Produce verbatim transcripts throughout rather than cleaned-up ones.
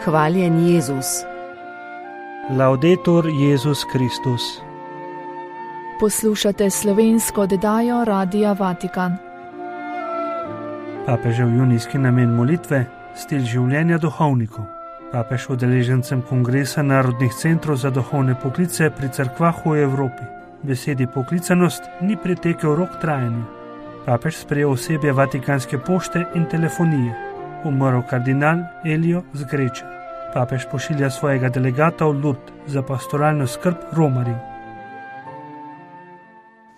Hvaljen Jezus. Laudetur Jezus Kristus. Poslušate slovensko oddajo Radia Vatikan. Papežev junijski namen molitve, stil življenja duhovnikov. Papež udeležencem Kongresa narodnih centrov za duhovne poklice pri cerkvah v Evropi. Besedi poklicanost ni pretekel rok trajanja. Papež sprejel osebje Vatikanske pošte in telefonije. Umrl kardinal Elio Zgreča. Papež pošilja svojega delegata v Lourdes za pastoralno skrb romarjev.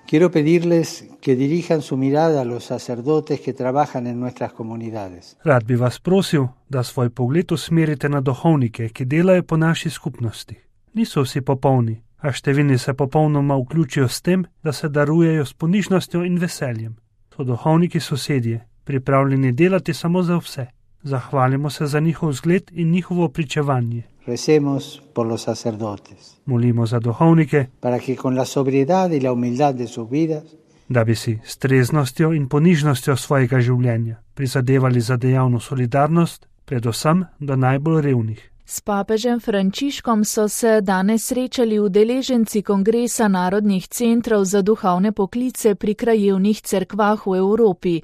Quiero pedirles que dirijan su mirada a los sacerdotes que trabajan en nuestras comunidades. Rad bi vas prosil, da svoj pogled usmerite na duhovnike, ki delajo po naši skupnosti. Niso vsi popolni, a številni se popolnoma vključijo s tem, da se darujejo s ponižnostjo in veseljem. So duhovniki sosedje, pripravljeni delati samo za vse. Zahvalimo se za njihov zgled in njihovo pričevanje. Recemos por los sacerdotes. Molimo za duhovnike, para que con la sobriedad y la humildad de sus vidas, da bi si s treznostjo in ponižnostjo svojega življenja prizadevali za dejavno solidarnost, predvsem do najbolj revnih. S papežem Frančiškom so se danes srečali udeleženci Kongresa narodnih centrov za duhovne poklice pri krajevnih cerkvah v Evropi.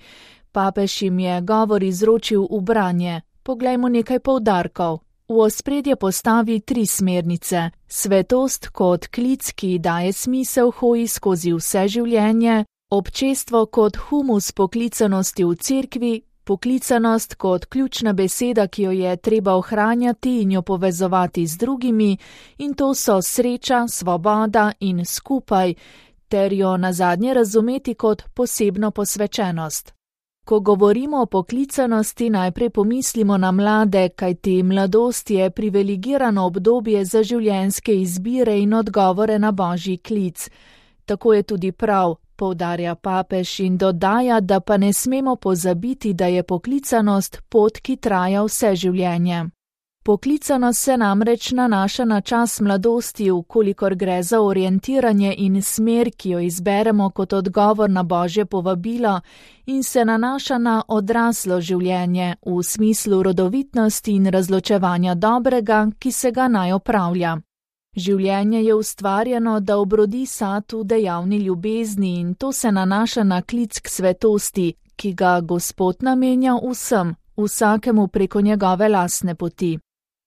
Papež jim je govor izročil v branje. Poglejmo nekaj poudarkov. V ospredje postavi tri smernice. Svetost kot klic, ki daje smisel hoji skozi vse življenje, občestvo kot humus poklicanosti v cerkvi, poklicanost kot ključna beseda, ki jo je treba ohranjati in jo povezovati z drugimi, in to so sreča, svoboda in skupaj, ter jo nazadnje razumeti kot posebno posvečenost. Ko govorimo o poklicanosti, najprej pomislimo na mlade, kajti mladost je privilegirano obdobje za življenjske izbire in odgovore na božji klic. Tako je tudi prav, poudarja papež in dodaja, da pa ne smemo pozabiti, da je poklicanost pot, ki traja vse življenje. Poklicanost se namreč nanaša na čas mladosti, vkolikor gre za orientiranje in smer, ki jo izberemo kot odgovor na božje povabilo, in se nanaša na odraslo življenje v smislu rodovitnosti in razločevanja dobrega, ki se ga naj opravlja. Življenje je ustvarjeno, da obrodi sad v dejavni ljubezni, in to se nanaša na klic k svetosti, ki ga Gospod namenja vsem, vsakemu preko njegove lastne poti.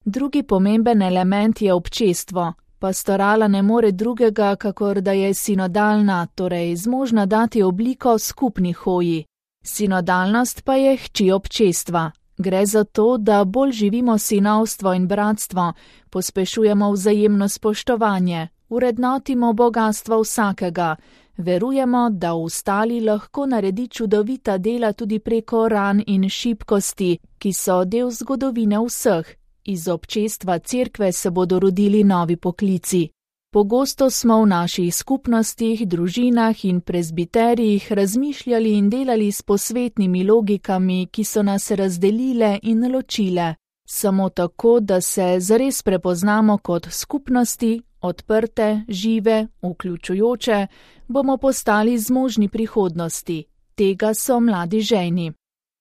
Drugi pomemben element je občestvo. Pastorala ne more drugega, kakor da je sinodalna, torej zmožna dati obliko skupni hoji. Sinodalnost pa je hči občestva. Gre za to, da bolj živimo sinovstvo in bratstvo, pospešujemo vzajemno spoštovanje, urednotimo bogastvo vsakega, verujemo, da v ostali lahko naredi čudovita dela tudi preko ran in šibkosti, ki so del zgodovine vseh. Iz občestva cerkve se bodo rodili novi poklici. Pogosto smo v naših skupnostih, družinah in prezbiterijih razmišljali in delali s posvetnimi logikami, ki so nas razdelile in ločile. Samo tako, da se zares prepoznamo kot skupnosti, odprte, žive, vključujoče, bomo postali zmožni prihodnosti. Tega so mladi žejni.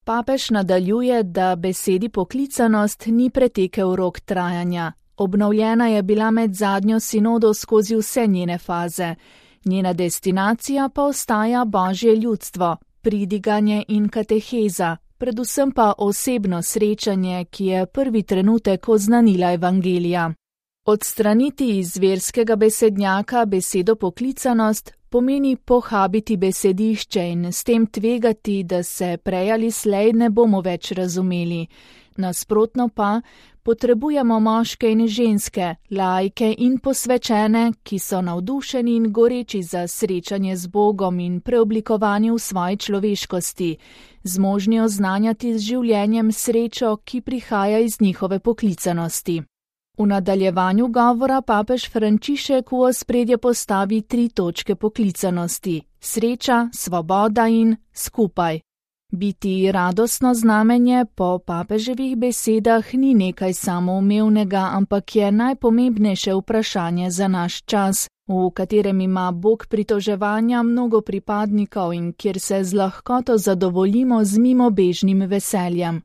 Papež nadaljuje, da besedi poklicanost ni pretekel rok trajanja. Obnovljena je bila med zadnjo sinodo skozi vse njene faze. Njena destinacija pa ostaja božje ljudstvo, pridiganje in kateheza, predvsem pa osebno srečanje, ki je prvi trenutek oznanila evangelija. Odstraniti iz verskega besednjaka besedo poklicanost pomeni pohabiti besedišče in s tem tvegati, da se prej ali slej ne bomo več razumeli. Nasprotno pa potrebujemo moške in ženske, laike in posvečene, ki so navdušeni in goreči za srečanje z Bogom in preoblikovanje v svoji človeškosti, zmožni oznanjati z življenjem srečo, ki prihaja iz njihove poklicanosti. V nadaljevanju govora papež Frančišek v ospredje postavi tri točke poklicanosti: sreča, svoboda in skupaj. Biti radostno znamenje po papeževih besedah ni nekaj samoumevnega, ampak je najpomembnejše vprašanje za naš čas, v katerem ima Bog pritoževanja mnogo pripadnikov in kjer se z lahkoto zadovoljimo z mimobežnim veseljem.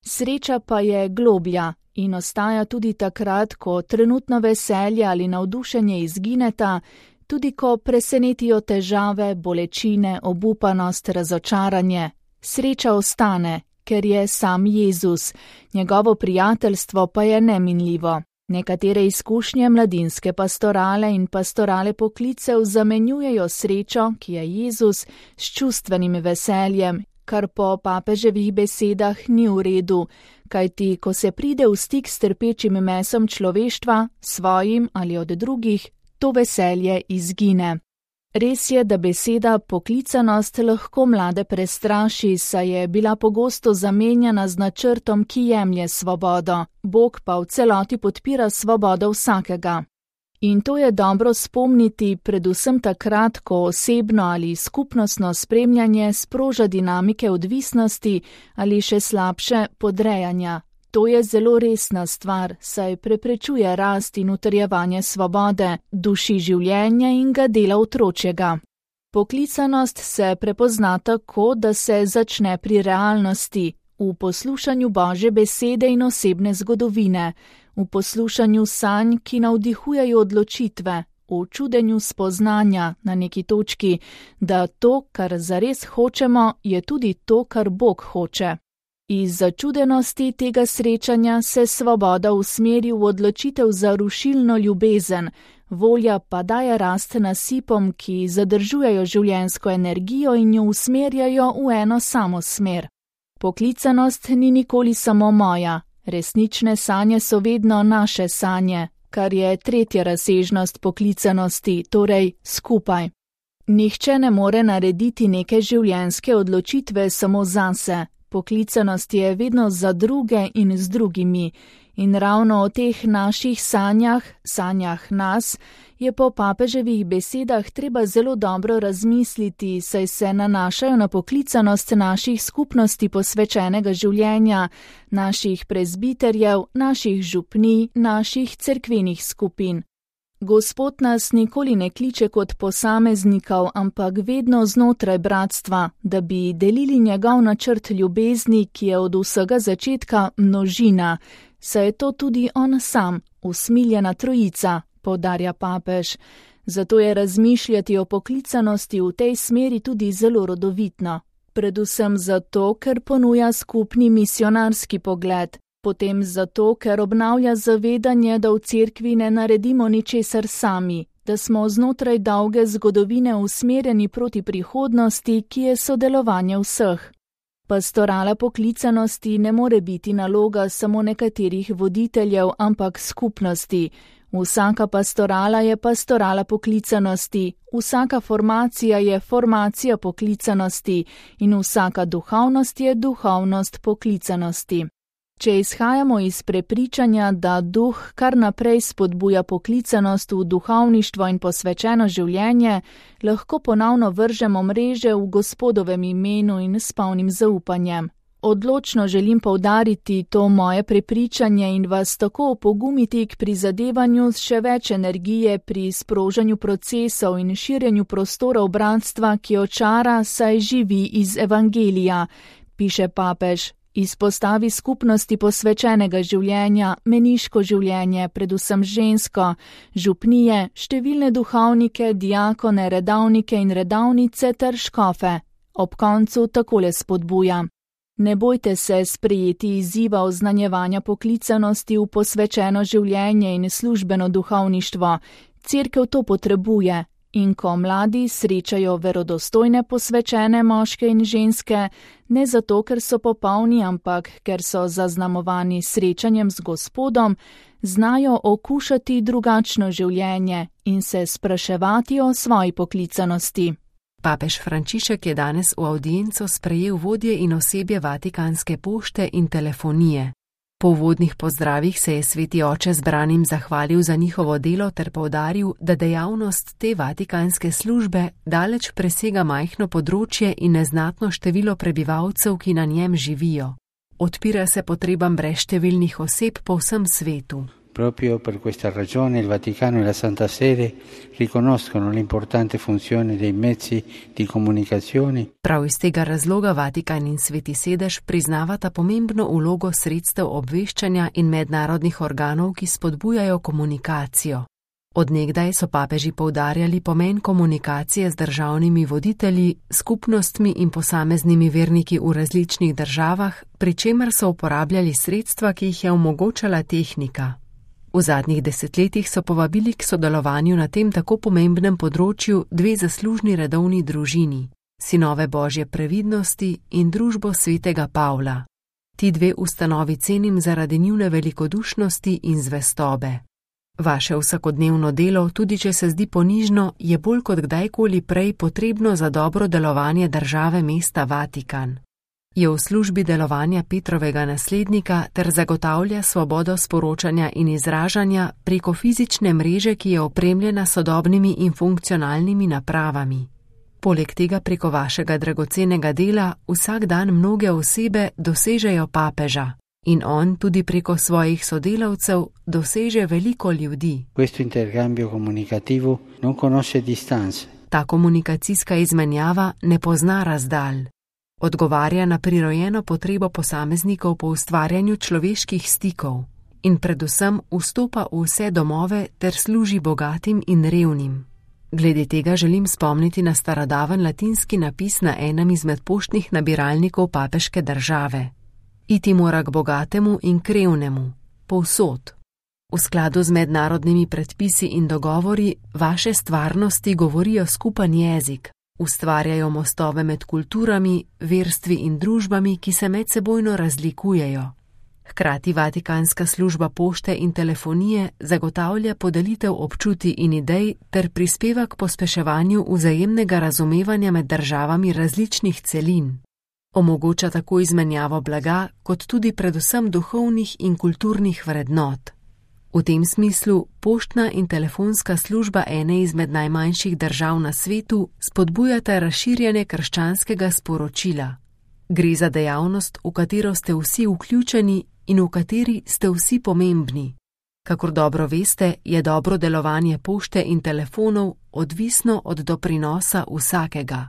Sreča pa je globlja in ostaja tudi takrat, ko trenutno veselje ali navdušenje izgineta, tudi ko presenetijo težave, bolečine, obupanost, razočaranje. Sreča ostane, ker je sam Jezus, njegovo prijateljstvo pa je neminljivo. Nekatere izkušnje mladinske pastorale in pastorale poklicev zamenjujejo srečo, ki je Jezus, s čustvenim veseljem, kar po papeževih besedah ni v redu, kajti ko se pride v stik s trpečim mesom človeštva, svojim ali od drugih, to veselje izgine. Res je, da beseda poklicanost lahko mlade prestraši, saj je bila pogosto zamenjana z načrtom, ki jemlje svobodo. Bog pa v celoti podpira svobodo vsakega. In to je dobro spomniti predvsem takrat, ko osebno ali skupnostno spremljanje sproža dinamike odvisnosti ali še slabše podrejanja. To je zelo resna stvar, saj preprečuje rast in utrjevanje svobode, duši življenja in ga dela otročjega. Poklicanost se prepozna tako, da se začne pri realnosti, v poslušanju Božje besede in osebne zgodovine, v poslušanju sanj, ki navdihujejo odločitve, v čudenju spoznanja na neki točki, da to, kar zares hočemo, je tudi to, kar Bog hoče. Iz začudenosti tega srečanja se svoboda usmeri v odločitev za rušilno ljubezen, volja pa daje rast nasipom, ki zadržujejo življenjsko energijo in jo usmerjajo v eno samo smer. Poklicanost ni nikoli samo moja, resnične sanje so vedno naše sanje, kar je tretja razsežnost poklicanosti, torej skupaj. Nihče ne more narediti neke življenjske odločitve samo zase. Poklicanost je vedno za druge in z drugimi, in ravno o teh naših sanjah, sanjah nas, je po papeževih besedah treba zelo dobro razmisliti, saj se nanašajo na poklicanost naših skupnosti posvečenega življenja, naših prezbiterjev, naših župnij, naših cerkvenih skupin. Gospod nas nikoli ne kliče kot posameznikov, ampak vedno znotraj bratstva, da bi delili njegov načrt ljubezni, ki je od vsega začetka množina, saj je to tudi on sam, usmiljena trojica, poudarja papež. Zato je razmišljati o poklicanosti v tej smeri tudi zelo rodovitno. Predvsem zato, ker ponuja skupni misionarski pogled. Potem zato, ker obnavlja zavedanje, da v cerkvi ne naredimo ničesar sami, da smo znotraj dolge zgodovine usmerjeni proti prihodnosti, ki je sodelovanje vseh. Pastorala poklicanosti ne more biti naloga samo nekaterih voditeljev, ampak skupnosti. Vsaka pastorala je pastorala poklicanosti, vsaka formacija je formacija poklicanosti in vsaka duhovnost je duhovnost poklicanosti. Če izhajamo iz prepričanja, da duh kar naprej spodbuja poklicanost v duhovništvo in posvečeno življenje, lahko ponovno vržemo mreže v Gospodovem imenu in s polnim zaupanjem. Odločno želim poudariti to moje prepričanje in vas tako opogumiti k prizadevanju z še več energije pri sprožanju procesov in širjenju prostorov bratstva, ki očara, saj živi iz evangelija, piše papež. Izpostavi skupnosti posvečenega življenja, meniško življenje, predvsem žensko, župnije, številne duhovnike, diakone, redavnike in redavnice ter škofe. Ob koncu takole spodbuja. Ne bojte se sprejeti izziva oznanjevanja poklicanosti v posvečeno življenje in službeno duhovništvo. Cerkev to potrebuje. In ko mladi srečajo verodostojne posvečene moške in ženske, ne zato, ker so popolni, ampak ker so zaznamovani srečanjem z Gospodom, znajo okušati drugačno življenje in se spraševati o svoji poklicanosti. Papež Frančišek je danes v avdienco sprejel vodje in osebje Vatikanske pošte in telefonije. Po uvodnih pozdravih se je sveti oče zbranim zahvalil za njihovo delo ter poudaril, da dejavnost te vatikanske službe daleč presega majhno področje in neznatno število prebivalcev, ki na njem živijo. Odpira se potrebam brezštevilnih oseb po vsem svetu. Proprio per questa ragione il Vaticano e la Santa Sede riconoscono l'importante funzione dei mezzi di comunicazione. Prav iz tega razloga Vatikan in Sveti sedež priznavata pomembno vlogo sredstev obveščanja in mednarodnih organov, ki spodbujajo komunikacijo. Od nekdaj so papeži poudarjali pomen komunikacije z državnimi voditelji, skupnostmi in posameznimi verniki v različnih državah, pri čemer so uporabljali sredstva, ki jih je omogočala tehnika. V zadnjih desetletjih so povabili k sodelovanju na tem tako pomembnem področju dve zaslužni redovni družini, Sinove Božje previdnosti in Družbo svetega Pavla. Ti dve ustanovi cenim zaradi njune velikodušnosti in zvestobe. Vaše vsakodnevno delo, tudi če se zdi ponižno, je bolj kot kdajkoli prej potrebno za dobro delovanje države mesta Vatikan. Je v službi delovanja Petrovega naslednika ter zagotavlja svobodo sporočanja in izražanja preko fizične mreže, ki je opremljena sodobnimi in funkcionalnimi napravami. Poleg tega preko vašega dragocenega dela vsak dan mnoge osebe dosežejo papeža in on tudi preko svojih sodelavcev doseže veliko ljudi. Questo intercambio comunicativo non conosce distanze. Ta komunikacijska izmenjava ne pozna razdalj. Odgovarja na prirojeno potrebo posameznikov po ustvarjanju človeških stikov in predvsem vstopa v vse domove ter služi bogatim in revnim. Glede tega želim spomniti na starodaven latinski napis na enem izmed poštnih nabiralnikov papeške države. Iti mora k bogatemu in k revnemu, povsod. V skladu z mednarodnimi predpisi in dogovori vaše stvarnosti govorijo skupen jezik, ustvarjajo mostove med kulturami, verstvi in družbami, ki se medsebojno razlikujejo. Hkrati Vatikanska služba pošte in telefonije zagotavlja podelitev občutij in idej ter prispeva k pospeševanju vzajemnega razumevanja med državami različnih celin. Omogoča tako izmenjavo blaga, kot tudi predvsem duhovnih in kulturnih vrednot. V tem smislu poštna in telefonska služba ene izmed najmanjših držav na svetu spodbujata razširjanje krščanskega sporočila. Gre za dejavnost, v katero ste vsi vključeni in v kateri ste vsi pomembni. Kakor dobro veste, je dobro delovanje pošte in telefonov odvisno od doprinosa vsakega.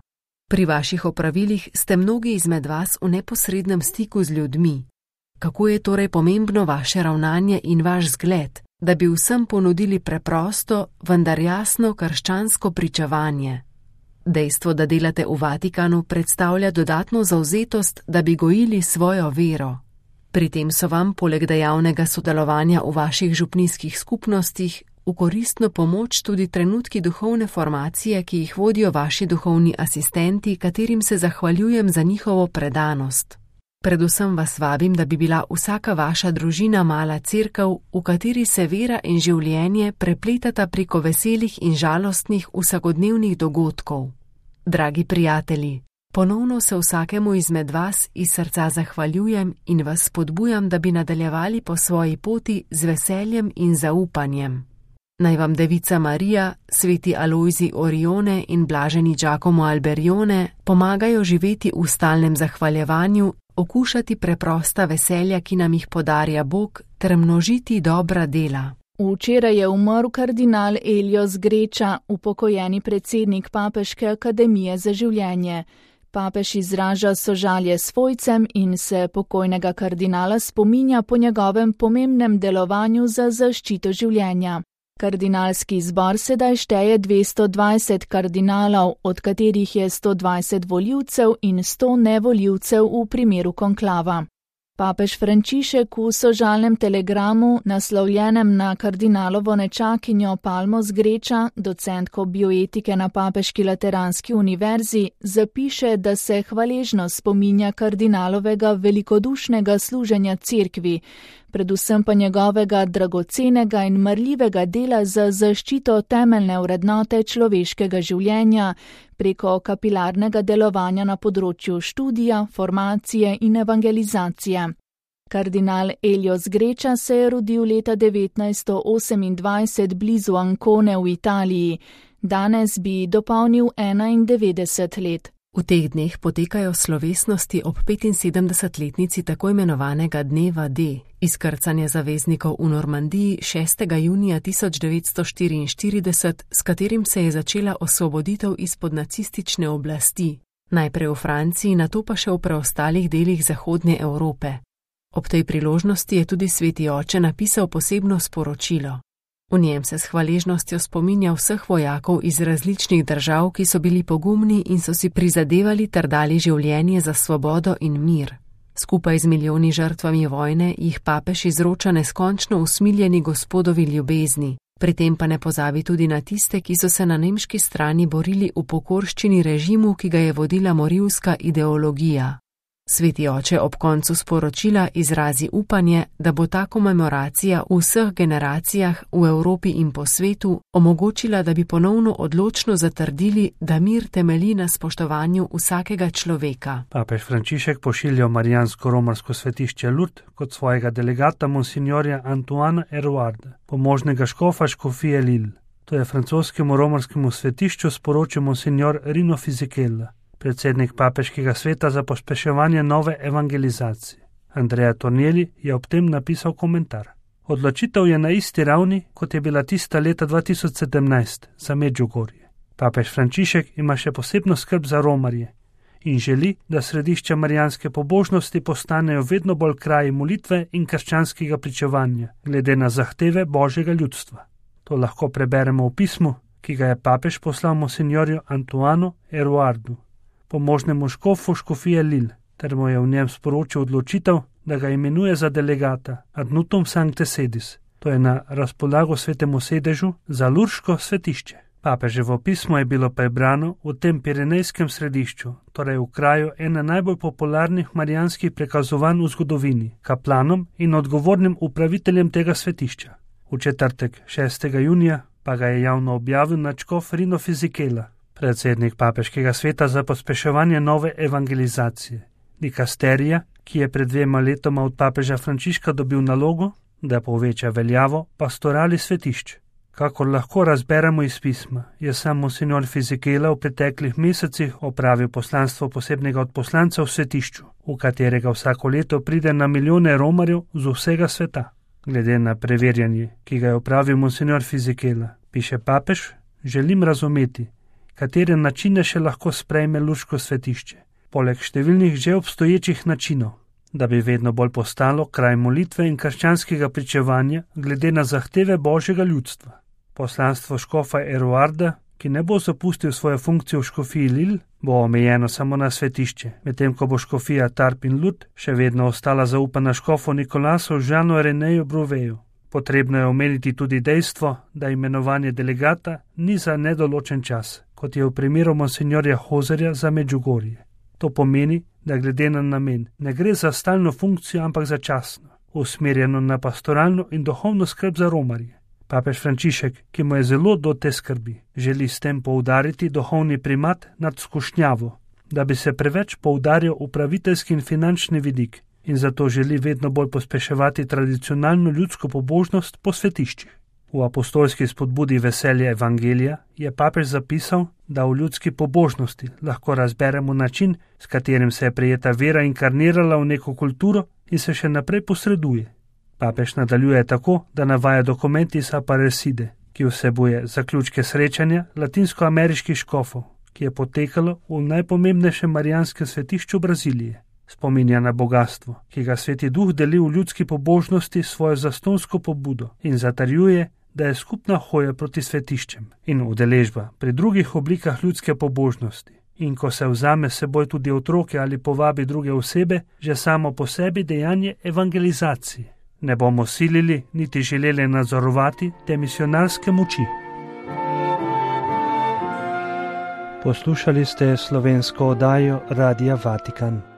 Pri vaših opravilih ste mnogi izmed vas v neposrednem stiku z ljudmi. Kako je torej pomembno vaše ravnanje in vaš zgled, da bi vsem ponudili preprosto, vendar jasno krščansko pričevanje? Dejstvo, da delate v Vatikanu, predstavlja dodatno zavzetost, da bi gojili svojo vero. Pri tem so vam, poleg dejavnega sodelovanja v vaših župnijskih skupnostih, v koristno pomoč tudi trenutki duhovne formacije, ki jih vodijo vaši duhovni asistenti, katerim se zahvaljujem za njihovo predanost. Predvsem vas vabim, da bi bila vsaka vaša družina mala cerkev, v kateri se vera in življenje prepletata preko veselih in žalostnih vsakodnevnih dogodkov. Dragi prijatelji, ponovno se vsakemu izmed vas iz srca zahvaljujem in vas spodbujam, da bi nadaljevali po svoji poti z veseljem in zaupanjem. Naj vam Devica Marija, sveti Alojzij Orione in blaženi Giacomo Alberione pomagajo živeti v stalnem zahvaljevanju, okušati preprosta veselja, ki nam jih podarja Bog, ter množiti dobra dela. Včeraj je umrl kardinal Elios Greča, upokojeni predsednik Papeške akademije za življenje. Papež izraža sožalje svojcem in se pokojnega kardinala spominja po njegovem pomembnem delovanju za zaščito življenja. Kardinalski zbor sedaj šteje dvesto dvajset kardinalov, od katerih je sto dvajset volivcev in sto nevolivcev v primeru konklava. Papež Frančišek v sožalnem telegramu, naslovljenem na kardinalovo nečakinjo Palmo Zgreča, docentko bioetike na Papeški lateranski univerzi, zapiše, da se hvaležno spominja kardinalovega velikodušnega služenja cerkvi, predvsem pa njegovega dragocenega in marljivega dela za zaščito temeljne vrednote človeškega življenja preko kapilarnega delovanja na področju študija, formacije in evangelizacije. Kardinal Elios Greča se je rodil leta devetnajststo osemindvajset blizu Ancone v Italiji. Danes bi dopolnil enaindevetdeset let. V teh dneh potekajo slovesnosti ob petinsedemdesetletnici tako imenovanega dneva D, izkrcanja zaveznikov v Normandiji šestega junija tisoč devetsto štiriinštirideset, s katerim se je začela osvoboditev izpod nacistične oblasti, najprej v Franciji, nato pa še v preostalih delih Zahodne Evrope. Ob tej priložnosti je tudi sveti oče napisal posebno sporočilo. V njem se s hvaležnostjo spominja vseh vojakov iz različnih držav, ki so bili pogumni in so si prizadevali ter dali življenje za svobodo in mir. Skupaj z milijoni žrtvami vojne jih papež izroča neskončno usmiljeni Gospodovi ljubezni, pri tem pa ne pozabi tudi na tiste, ki so se na nemški strani borili v pokorščini režimu, ki ga je vodila morilska ideologija. Sveti oče ob koncu sporočila izrazi upanje, da bo ta komemoracija v vseh generacijah v Evropi in po svetu omogočila, da bi ponovno odločno zatrdili, da mir temelji na spoštovanju vsakega človeka. Papež Frančišek pošilja v marijansko-romarsko svetišče Lourdes kot svojega delegata monsignorja Antoana Eruarda, pomožnega škofa škofije Lille. To je francoskemu romarskemu svetišču sporočil monsignor Rino Fisichella, predsednik papeškega sveta za pospeševanje nove evangelizacije. Andrea Tornielli je ob tem napisal komentar. Odločitev je na isti ravni, kot je bila tista leta dva tisoč sedemnajst za Medjugorje. Papež Frančišek ima še posebno skrb za romarje in želi, da središča marijanske pobožnosti postanejo vedno bolj kraji molitve in krščanskega pričevanja, glede na zahteve Božjega ljudstva. To lahko preberemo v pismu, ki ga je papež poslal monsignorju Antoanu Eruardu, pomožnemu škofu škofije Lille, ter mu je v njem sporočil odločitev, da ga imenuje za delegata ad nutum sancte sedis, to je na razpolago svetemu sedežu za lurško svetišče. Papeževo pismo je bilo prebrano v tem pirenejskem središču, torej v kraju ena najbolj popularnih marijanskih prekazovanj v zgodovini, kaplanom in odgovornim upraviteljem tega svetišča. V četrtek šestega junija pa ga je javno objavil nadškof Rino Fisichella, predsednik papeškega sveta za pospeševanje nove evangelizacije, dikasterija, ki je pred dvema letoma od papeža Frančiška dobil nalogo, da poveča veljavo pastorali svetišč. Kakor lahko razberemo iz pisma, je sam monsignor Fisichella v preteklih mesecih opravil poslanstvo posebnega odposlanca v svetišču, v katerega vsako leto pride na milijone romarjev z vsega sveta. Glede na preverjanje, ki ga je opravil monsignor Fisichella, piše papež, želim razumeti, katere načine še lahko sprejme lurško svetišče, poleg številnih že obstoječih načinov, da bi vedno bolj postalo kraj molitve in krščanskega pričevanja glede na zahteve Božjega ljudstva. Poslanstvo škofa Eruarda, ki ne bo zapustil svoje funkcije v škofiji Lille, bo omejeno samo na svetišče, medtem ko bo škofija Tarbes in Lourdes še vedno ostala zaupana škofu Nikolasu Jeanu Reneju Bruveju. Potrebno je omeniti tudi dejstvo, da imenovanje delegata ni za nedoločen čas, kot je v primeru monsignorja Hozerja za Medjugorje. To pomeni, da glede na namen ne gre za stalno funkcijo, ampak začasno, usmerjeno na pastoralno in duhovno skrb za romarje. Papež Frančišek, ki mu je zelo do te skrbi, želi s tem poudariti duhovni primat nad skušnjavo, da bi se preveč poudarjal upraviteljski in finančni vidik, in zato želi vedno bolj pospeševati tradicionalno ljudsko pobožnost po svetiščih. V apostolski spodbudi Veselje evangelija je papež zapisal, da v ljudski pobožnosti lahko razberemo način, s katerim se je prijeta vera inkarnirala v neko kulturo in se še naprej posreduje. Papež nadaljuje tako, da navaja dokument iz Aparecide, ki vsebuje zaključke srečanja latinskoameriških škofov, ki je potekalo v najpomembnejšem marijanskem svetišču Brazilije. Spominja na bogatstvo, ki ga Sveti Duh deli v ljudski pobožnosti svojo zastonsko pobudo in zatrjuje, da je skupna hoja proti svetiščem in udeležba pri drugih oblikah ljudske pobožnosti. In ko se vzame seboj tudi otroke ali povabi druge osebe, že samo po sebi dejanje evangelizacije. Ne bomo silili niti želeli nadzorovati te misionarske moči. Poslušali ste slovensko oddajo Radia Vatikan.